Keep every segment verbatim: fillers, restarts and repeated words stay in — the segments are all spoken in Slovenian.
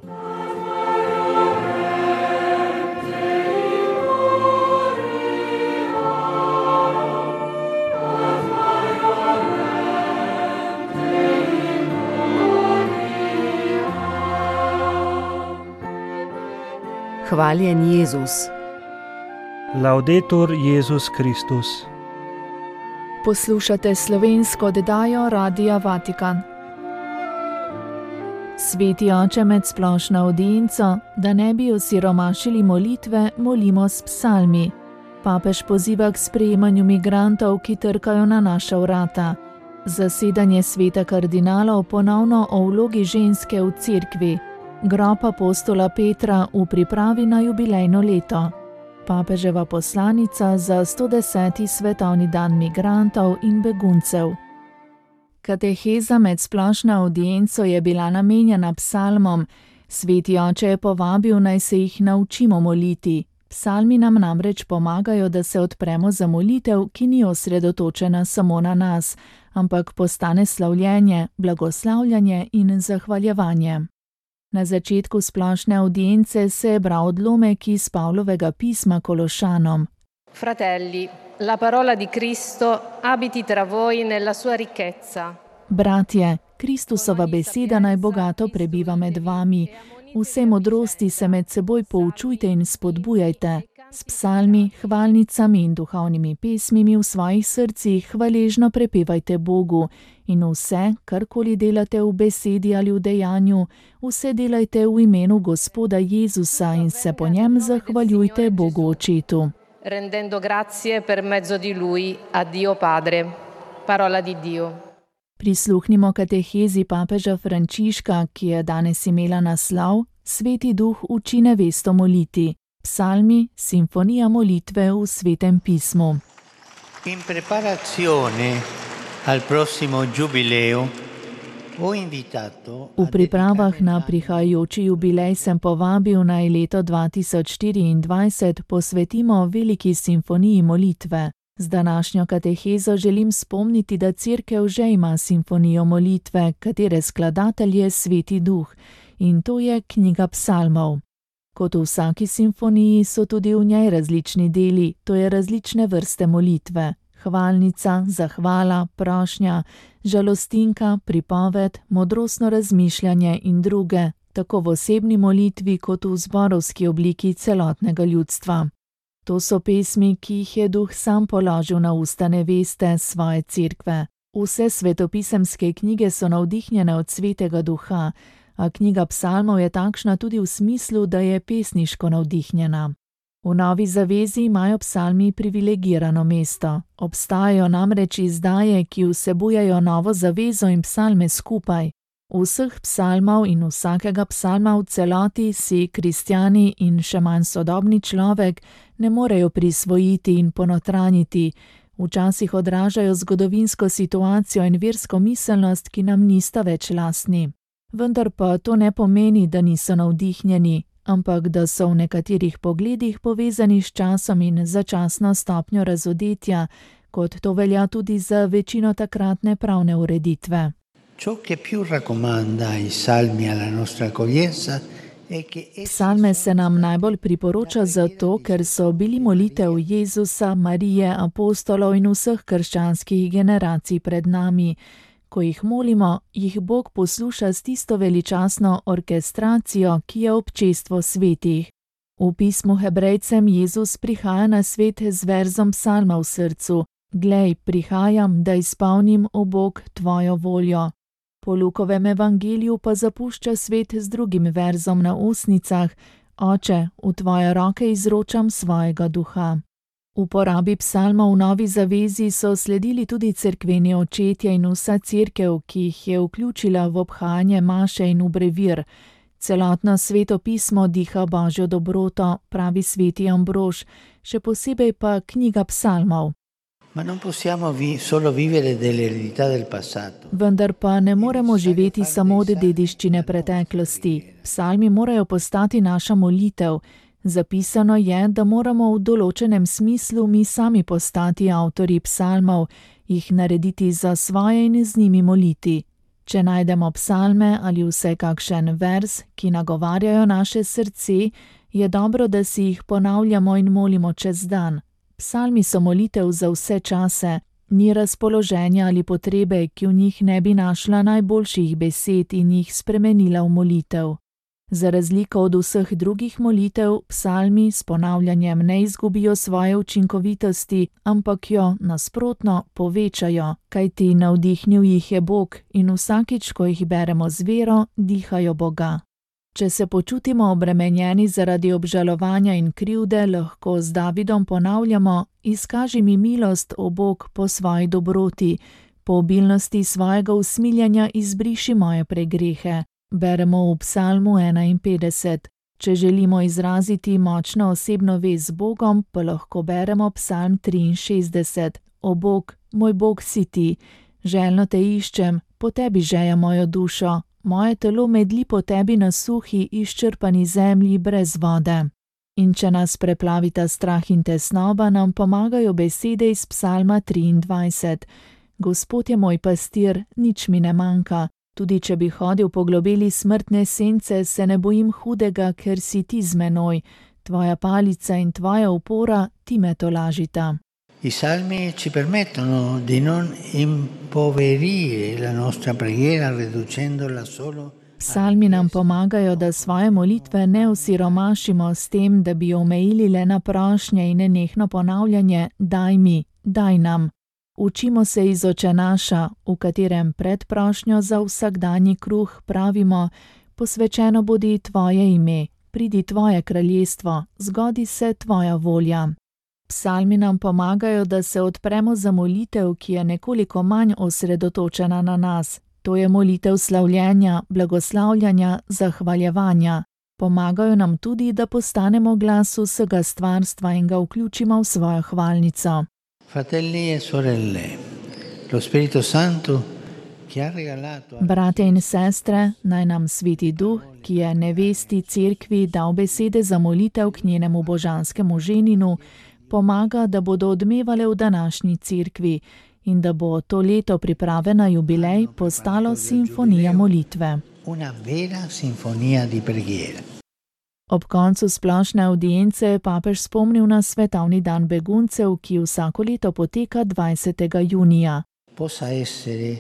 Hvaljen Jezus. Laudetur Jezus Kristus. Poslušate slovensko oddajo Radia Vatikan. Sveti oče, med splošno avdienco, da ne bi osiromašili molitve, molimo s psalmi. Papež poziva k sprejemanju migrantov, ki trkajo na naša vrata. Zasedanje sveta kardinalov ponovno o vlogi ženske v cerkvi. Grob apostola Petra v pripravi na jubilejno leto. Papeževa poslanica za sto deseti svetovni dan migrantov in beguncev. Kateheza med splošno avdienco je bila namenjena psalmom. Sveti oče je povabil, naj se jih naučimo moliti. Psalmi nam namreč pomagajo, da se odpremo za molitev, ki ni osredotočena samo na nas, ampak postane slavljenje, blagoslavljanje in zahvaljevanje. Na začetku splošne avdience se je bral odlomek iz Pavlovega pisma Kološanom. Fratelli, la parola di Cristo abiti tra voi nella sua ricchezza. Bratje, Kristusova beseda naj bogato prebiva med vami. Vse modrosti se med seboj poučujte in spodbujajte. S psalmi, hvalnicami in duhovnimi pesmimi v svojih srcih hvaležno prepevajte Bogu. In vse, karkoli delate v besedi ali v dejanju, vse delajte v imenu Gospoda Jezusa in se po njem zahvaljujte Bogu Očetu. Rendendo grazie per mezzo di lui a Dio Padre. Parola di Dio. Prisluhnimo katehezi papeža Frančiška, ki je danes imela naslov Sveti duh uči nevesto moliti. Psalmi, simfonija molitve v Svetem pismu. In preparazione al prossimo giubileo ho invitato V pripravah na prihajajoči jubilej sem povabil, naj leto dva tisoč štiriindvajset posvetimo veliki simfoniji molitve. Z današnjo katehezo želim spomniti, da cerkev že ima simfonijo molitve, katere skladatelj je Sveti duh, in to je knjiga psalmov. Kot v vsaki simfoniji so tudi v njej različni deli, to je različne vrste molitve. Hvalnica, zahvala, prošnja, žalostinka, pripoved, modrostno razmišljanje in druge, tako v osebni molitvi kot v zborovski obliki celotnega ljudstva. To so pesmi, ki jih je duh sam položil na usta neveste svoje cerkve. Vse svetopisemske knjige so navdihnjene od Svetega duha, a knjiga psalmov je takšna tudi v smislu, da je pesniško navdihnjena. V Novi zavezi imajo psalmi privilegirano mesto. Obstajajo namreč izdaje, ki vsebujejo Novo zavezo in psalme skupaj. Vseh psalmov in vsakega psalma v celoti si kristjani in še manj sodobni človek ne morejo prisvojiti in ponotranjiti. Včasih odražajo zgodovinsko situacijo in versko miselnost, ki nam nista več lastni. Vendar pa to ne pomeni, da niso navdihnjeni, ampak da so v nekaterih pogledih povezani s časom in začasno stopnjo razodetja, kot to velja tudi za večino takratne pravne ureditve. Psalme se nam najbolj priporoča zato, ker so bili molitev Jezusa, Marije, apostolov in vseh krščanskih generacij pred nami. Ko jih molimo, jih Bog posluša s tisto veličastno orkestracijo, ki je občestvo svetih. V pismu Hebrejcem Jezus prihaja na svet z verzom psalma v srcu. Glej, prihajam, da izpolnim, o Bog, tvojo voljo. Po Lukovem evangeliju pa zapušča svet z drugim verzom na ustnicah. Oče, v tvoje roke izročam svojega duha. Uporabi psalmov v Novi zavezi so sledili tudi cerkveni očetje in vsa cerkev, ki jih je vključila v obhajanje maše in v brevir. Celotno Sveto pismo diha Božjo dobroto, pravi sveti Ambrož, še posebej pa knjiga psalmov. Vendar pa ne moremo živeti samo od dediščine preteklosti. Psalmi morajo postati naša molitev. Zapisano je, da moramo v določenem smislu mi sami postati avtorji psalmov, jih narediti za svoje in z njimi moliti. Če najdemo psalme ali vsaj kakšen vers, ki nagovarjajo naše srce, je dobro, da si jih ponavljamo in molimo čez dan. Psalmi so molitev za vse čase, ni razpoloženja ali potrebe, ki v njih ne bi našla najboljših besed in jih spremenila v molitev. Za razliko od vseh drugih molitev, psalmi s ponavljanjem ne izgubijo svoje učinkovitosti, ampak jo, nasprotno, povečajo, kajti navdihnil jih je Bog in vsakič, ko jih beremo z vero, dihajo Boga. Če se počutimo obremenjeni zaradi obžalovanja in krivde, lahko z Davidom ponavljamo: Izkaži mi milost, o Bog, po svoji dobroti, po obilnosti svojega usmiljenja izbriši moje pregrehe. Beremo v psalmu enainpetdeset. Če želimo izraziti močno osebno vez z Bogom, pa lahko beremo psalm triinšestdeset. O Bog, moj Bog si ti, željno te iščem, po tebi žeja mojo dušo. Moje telo medli po tebi na suhi, izčrpani zemlji brez vode. In če nas preplavita strah in tesnoba, nam pomagajo besede iz psalma triindvajset. Gospod je moj pastir, nič mi ne manjka. Tudi če bi hodil po globeli smrtne sence, se ne bojim hudega, ker si ti z menoj. Tvoja palica in tvoja opora, ti me tolažita. I salmi ci permettono di non impoverire la nostra preghiera riducendola solo. Psalmi nam pomagajo, da svoje molitve ne osiromašimo s tem, da bi jo omejili le na prošnje in nenehno ponavljanje: daj mi, daj nam. Učimo se iz Očenaša, v katerem pred prošnjo za vsakdanji kruh pravimo: posvečeno bodi tvoje ime, pridi tvoje kraljestvo, zgodi se tvoja volja. Psalmi nam pomagajo, da se odpremo za molitev, ki je nekoliko manj osredotočena na nas. To je molitev slavljenja, blagoslavljanja, zahvaljevanja. Pomagajo nam tudi, da postanemo glas vsega stvarstva in ga vključimo v svojo hvalnico. Fratelli e sorelle, lo Spirito Santo, ki ha regalato... Brate in sestre, naj nam Sveti Duh, ki je nevesti cerkvi dal besede za molitev k njenemu božanskemu ženinu, pomaga, da bodo odmevale v današnji cerkvi in da bo to leto priprave na jubilej postalo simfonija molitve. Una vera sinfonija di preghiera. Ob koncu splošne avdience je papež spomnil na svetovni dan beguncev, ki vsako leto poteka dvajsetega junija. Possa essere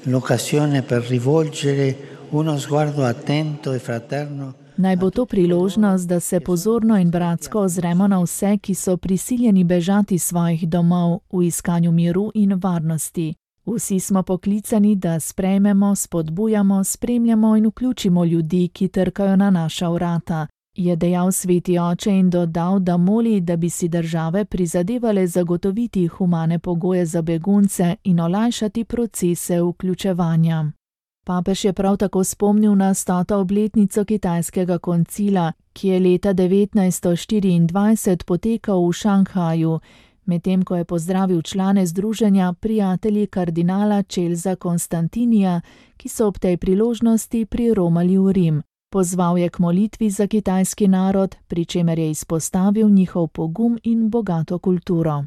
l'occasione per rivolgere uno sguardo attento e fraterno. Naj bo to priložnost, da se pozorno in bratsko ozremo na vse, ki so prisiljeni bežati svojih domov v iskanju miru in varnosti. Vsi smo poklicani, da sprejmemo, spodbujamo, spremljamo in vključimo ljudi, ki trkajo na naša vrata, je dejal Sveti oče in dodal, da moli, da bi si države prizadevale zagotoviti humane pogoje za begunce in olajšati procese vključevanja. Papež je prav tako spomnil na stoto obletnico kitajskega koncila, ki je leta devetnajststo štiriindvajset potekal v Šanghaju, medtem ko je pozdravil člane združenja prijatelji kardinala Charlesa Konstantinija, ki so ob tej priložnosti priromali v Rim. Pozval je k molitvi za kitajski narod, pri čemer je izpostavil njihov pogum in bogato kulturo.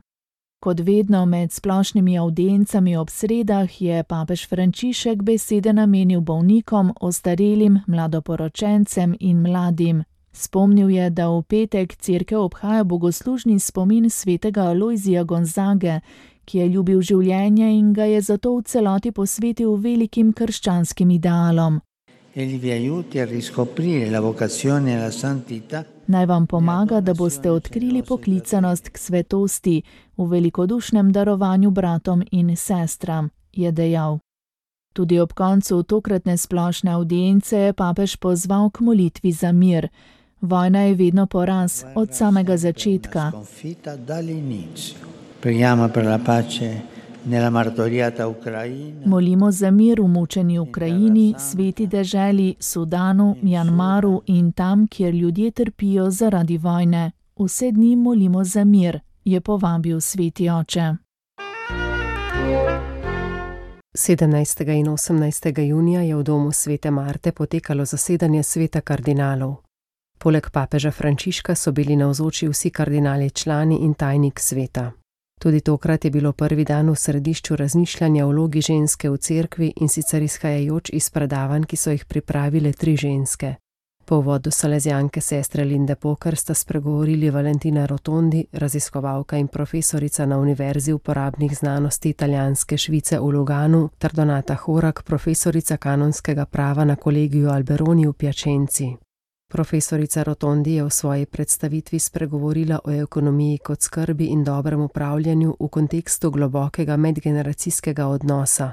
Kot vedno med splošnimi avdiencami ob sredah je papež Frančišek besede namenil bolnikom, ostarelim, mladoporočencem in mladim. Spomnil je, da v petek cerkev obhaja bogoslužni spomin svetega Alojzija Gonzage, ki je ljubil življenje in ga je zato v celoti posvetil velikim krščanskim idealom. Naj vam pomaga, da boste odkrili poklicanost k svetosti v velikodušnem darovanju bratom in sestram, je dejal. Tudi ob koncu tokratne splošne avdience je papež pozval k molitvi za mir. Vojna je vedno poraz, od samega začetka. Molimo za mir v mučeni Ukrajini, sveti deželi, Sudanu, Mjanmaru in tam, kjer ljudje trpijo zaradi vojne. Vse dni molimo za mir, je povabil Sveti oče. sedemnajstega in osemnajstega junija je v domu svete Marte potekalo zasedanje sveta kardinalov. Poleg papeža Frančiška so bili navzoči vsi kardinali člani in tajnik sveta. Tudi tokrat je bilo prvi dan v središču razmišljanja o vlogi ženske v cerkvi, in sicer izhajajoč iz predavanj, ki so jih pripravile tri ženske. Po uvodu salezijanke sestre Linde Poker sta spregovorili Valentina Rotondi, raziskovalka in profesorica na Univerzi uporabnih znanosti italijanske Švice v Luganu, ter Donata Horak, profesorica kanonskega prava na kolegiju Alberoni v Piacenzi. Profesorica Rotondi je v svoji predstavitvi spregovorila o ekonomiji kot skrbi in dobrem upravljanju v kontekstu globokega medgeneracijskega odnosa.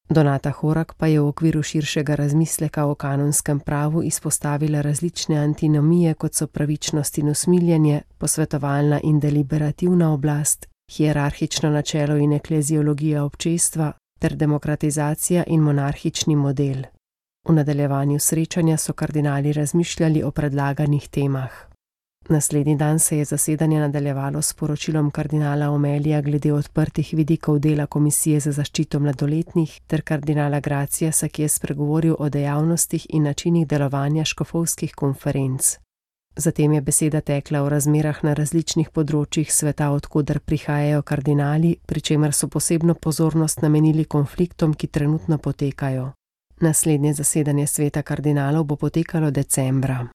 Donata Horak pa je v okviru širšega razmisleka o kanonskem pravu izpostavila različne antinomije, kot so pravičnost in usmiljenje, posvetovalna in deliberativna oblast, hierarhično načelo in ekleziologija občestva ter demokratizacija in monarhični model. V nadaljevanju srečanja so kardinali razmišljali o predlaganih temah. Naslednji dan se je zasedanje nadaljevalo s poročilom kardinala Omelija glede odprtih vidikov dela Komisije za zaščito mladoletnih ter kardinala Graciasa, ki je spregovoril o dejavnostih in načinih delovanja škofovskih konferenc. Zatem je beseda tekla o razmerah na različnih področjih sveta, odkoder prihajajo kardinali, pri čemer so posebno pozornost namenili konfliktom, ki trenutno potekajo. Naslednje zasedanje sveta kardinalov bo potekalo decembra.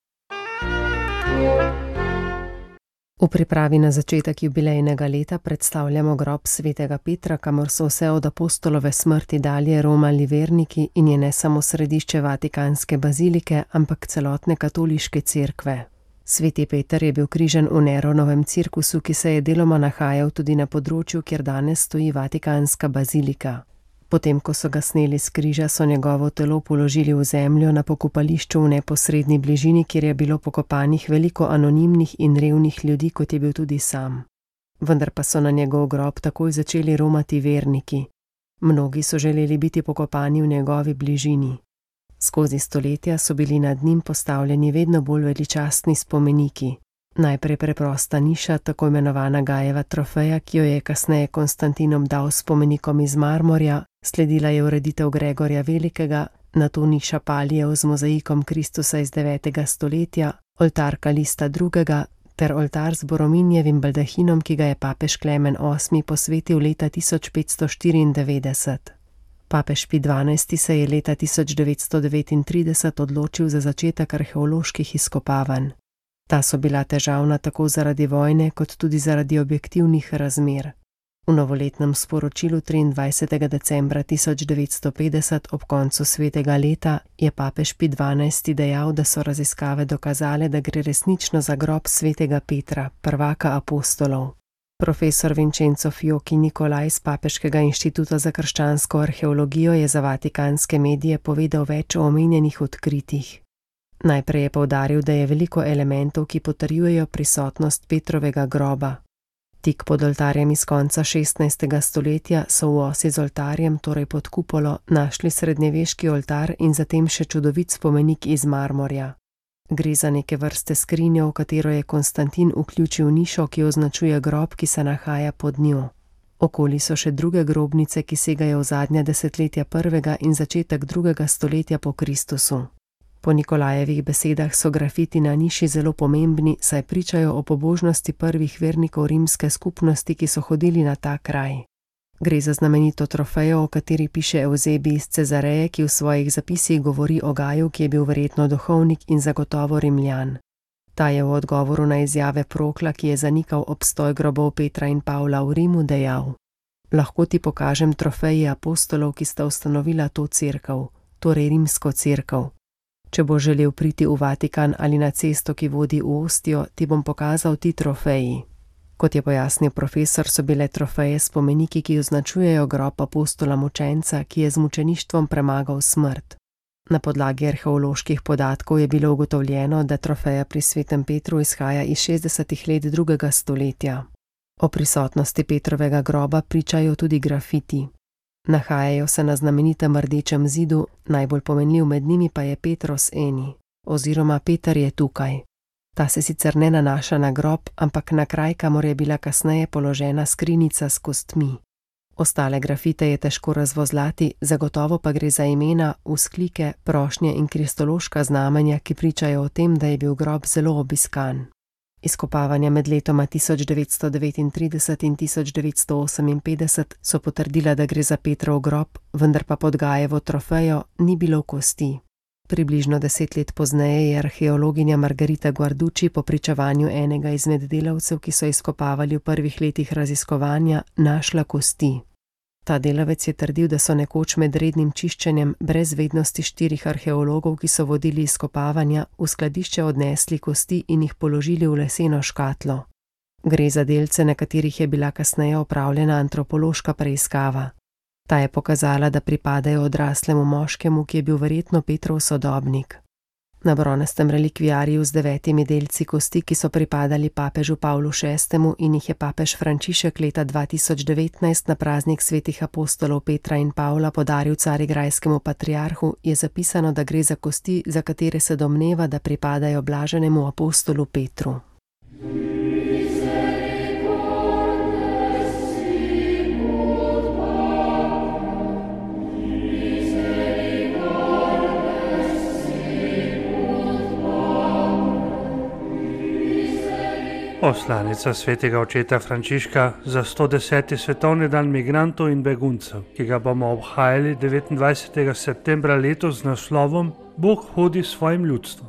V pripravi na začetek jubilejnega leta predstavljamo grob svetega Petra, kamor so vse od apostolove smrti dalje romali verniki in je ne samo središče Vatikanske bazilike, ampak celotne katoliške cerkve. Sveti Peter je bil križan v Neronovem cirkusu, ki se je deloma nahajal tudi na področju, kjer danes stoji Vatikanska bazilika. Potem, ko so ga sneli s križa, so njegovo telo položili v zemljo na pokopališču v neposredni bližini, kjer je bilo pokopanih veliko anonimnih in revnih ljudi, kot je bil tudi sam. Vendar pa so na njegov grob takoj začeli romati verniki. Mnogi so želeli biti pokopani v njegovi bližini. Skozi stoletja so bili nad njim postavljeni vedno bolj veličastni spomeniki. Najprej preprosta niša, tako imenovana Gajeva trofeja, ki jo je kasneje Konstantinom dal spomenikom iz marmorja, sledila je ureditev Gregorja Velikega, nato niša Palijev z mozaikom Kristusa iz devetega stoletja, oltar Kalista drugega ter oltar z Borominjevim baldahinom, ki ga je papež Klemen osmi posvetil leta tisoč petsto štiriindevetdeset. Papež Pij dvanajsti se je leta tisoč devetsto devetintrideset odločil za začetek arheoloških izkopavanj. Ta so bila težavna tako zaradi vojne, kot tudi zaradi objektivnih razmer. V novoletnem sporočilu triindvajsetega decembra tisoč devetsto petdeset ob koncu svetega leta je papež Pij dvanajsti dejal, da so raziskave dokazale, da gre resnično za grob svetega Petra, prvaka apostolov. Profesor Vincenzo Fiocchi Nicolai z Papeškega inštituta za krščansko arheologijo je za vatikanske medije povedal več o omenjenih odkritjih. Najprej je poudaril, da je veliko elementov, ki potrjujejo prisotnost Petrovega groba. Tik pod oltarjem iz konca šestnajstega stoletja so v osi z oltarjem, torej pod kupolo, našli srednjeveški oltar in zatem še čudovit spomenik iz marmorja. Gre za neke vrste skrinjo, v katero je Konstantin vključil nišo, ki označuje grob, ki se nahaja pod njo. Okoli so še druge grobnice, ki segajo v zadnja desetletja prvega in začetek drugega stoletja po Kristusu. Po Nikolajevih besedah so grafiti na niši zelo pomembni, saj pričajo o pobožnosti prvih vernikov rimske skupnosti, ki so hodili na ta kraj. Gre za znamenito trofejo, o kateri piše Evzebij iz Cezareje, ki v svojih zapisih govori o Gaju, ki je bil verjetno duhovnik in zagotovo Rimljan. Ta je v odgovoru na izjave Prokla, ki je zanikal obstoj grobov Petra in Pavla v Rimu, dejal: "Lahko ti pokažem trofeji apostolov, ki sta ustanovila to cerkev, torej rimsko cerkev. Če bo želel priti v Vatikan ali na cesto, ki vodi v Ostijo, ti bom pokazal ti trofeji." Kot je pojasnil profesor, so bile trofeje spomeniki, ki označujejo grob apostola mučenca, ki je z mučeništvom premagal smrt. Na podlagi arheoloških podatkov je bilo ugotovljeno, da trofeja pri svetem Petru izhaja iz šestdesetih let drugega stoletja. O prisotnosti Petrovega groba pričajo tudi grafiti. Nahajajo se na znamenitem rdečem zidu, najbolj pomenljiv med njimi pa je Petros eni, oziroma Peter je tukaj. Ta se sicer ne nanaša na grob, ampak na kraj, kamor je bila kasneje položena skrinjica s kostmi. Ostale grafite je težko razvozlati, zagotovo pa gre za imena, vzklike, prošnje in kristološka znamenja, ki pričajo o tem, da je bil grob zelo obiskan. Izkopavanja med letoma tisoč devetsto devetintrideset in tisoč devetsto oseminpetdeset so potrdila, da gre za Petrov grob, vendar pa pod Gajevo trofejo ni bilo kosti. Približno deset let pozneje je arheologinja Margarita Guarducci po pričevanju enega izmed delavcev, ki so izkopavali v prvih letih raziskovanja, našla kosti. Ta delavec je trdil, da so nekoč med rednim čiščenjem brez vednosti štirih arheologov, ki so vodili izkopavanja, v skladišče odnesli kosti in jih položili v leseno škatlo. Gre za delce, na katerih je bila kasneje opravljena antropološka preiskava. Ta je pokazala, da pripadajo odraslemu moškemu, ki je bil verjetno Petrov sodobnik. Na bronastem relikviariju z devetimi delci kosti, ki so pripadali papežu Pavlu šestemu in jih je papež Frančišek leta dva tisoč devetnajst na praznik svetih apostolov Petra in Pavla podaril carigrajskemu patriarhu, je zapisano, da gre za kosti, za katere se domneva, da pripadajo blaženemu apostolu Petru. Poslanica svetega očeta Frančiška za sto deseti svetovni dan migrantov in beguncev, ki ga bomo obhajali devetindvajsetega septembra letos z naslovom Bog hodi s svojim ljudstvom.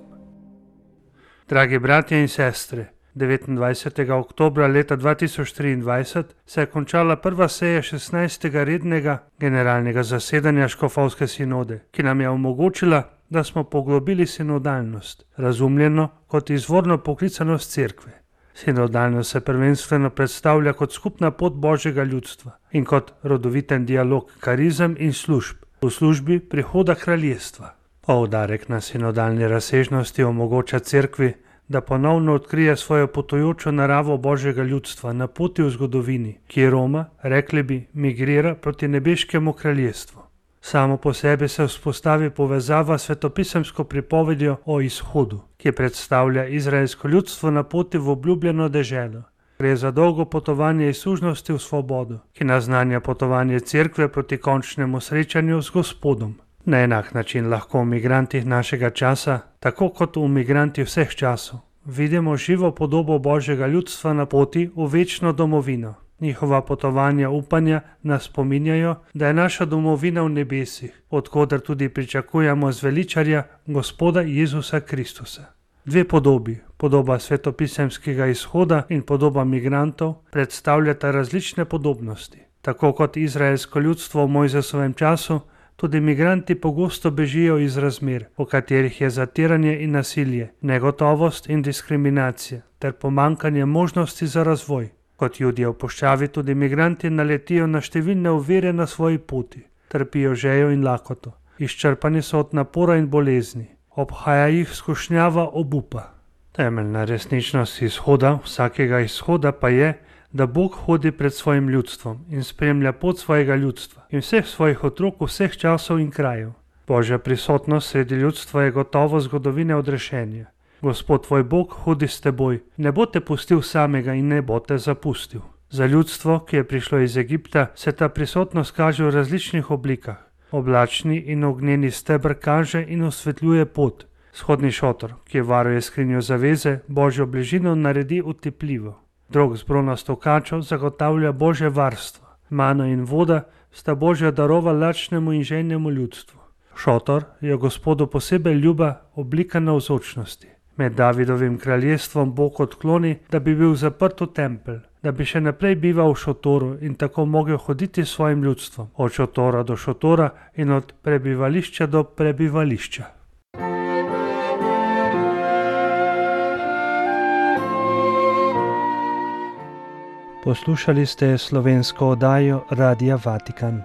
Dragi bratje in sestre, devetindvajsetega oktobra leta dva tisoč triindvajset se je končala prva seja šestnajstega rednega generalnega zasedanja Škofovske sinode, ki nam je omogočila, da smo poglobili sinodalnost, razumljeno kot izvorno poklicanost cerkve. Sinodalnost se prvenstveno predstavlja kot skupna pot Božjega ljudstva in kot rodoviten dialog karizem in služb v službi prihoda kraljestva. Poudarek na sinodalni razsežnosti omogoča cerkvi, da ponovno odkrije svojo potujočo naravo Božjega ljudstva na poti v zgodovini, ki Roma, rekli bi, migrira proti nebeškemu kraljestvu. Samo po sebi se vzpostavi povezava s svetopisemsko pripovedjo o izhodu, ki predstavlja izraelsko ljudstvo na poti v obljubljeno deželo. Gre za dolgo potovanje iz sužnosti v svobodo, ki naznanja potovanje cerkve proti končnemu srečanju z Gospodom. Na enak način lahko v migrantih našega časa, tako kot v migrantih vseh časov, vidimo živo podobo Božjega ljudstva na poti v večno domovino. Njihova potovanja upanja nas spominjajo, da je naša domovina v nebesih, od koder tudi pričakujemo zveličarja Gospoda Jezusa Kristusa. Dve podobi, podoba svetopisemskega izhoda in podoba migrantov, predstavljata različne podobnosti. Tako kot izraelsko ljudstvo v Mojzesovem času, tudi migranti pogosto bežijo iz razmer, v katerih je zatiranje in nasilje, negotovost in diskriminacija ter pomanjkanje možnosti za razvoj. Kot Judje v puščavi tudi migranti naletijo na številne ovire na svoji poti, trpijo žejo in lakoto, izčrpani so od napora in bolezni, obhaja jih skušnjava obupa. Temeljna resničnost izhoda, vsakega izhoda pa je, da Bog hodi pred svojim ljudstvom in spremlja pot svojega ljudstva in vseh svojih otrok vseh časov in krajev. Božja prisotnost sredi ljudstva je gotovo zgodovine odrešenja. Gospod tvoj Bog hodi s teboj, ne bo te pustil samega in ne bo te zapustil. Za ljudstvo, ki je prišlo iz Egipta, se ta prisotnost kaže v različnih oblikah. Oblačni in ognjeni steber kaže in osvetljuje pot. Shodni šotor, ki varuje skrinjo zaveze, Božjo bližino naredi utepljivo. Drog z bronasto kačo zagotavlja Božje varstvo. Mano in voda sta Božja darova lačnemu in žejnemu ljudstvu. Šotor je Gospodu posebej ljuba oblika navzočnosti. Med Davidovim kraljestvom Bog odkloni, da bi bil zaprt v tempelj, da bi še naprej bival v šotoru in tako mogel hoditi s svojim ljudstvom, od šotora do šotora in od prebivališča do prebivališča. Poslušali ste slovensko oddajo Radia Vatikan.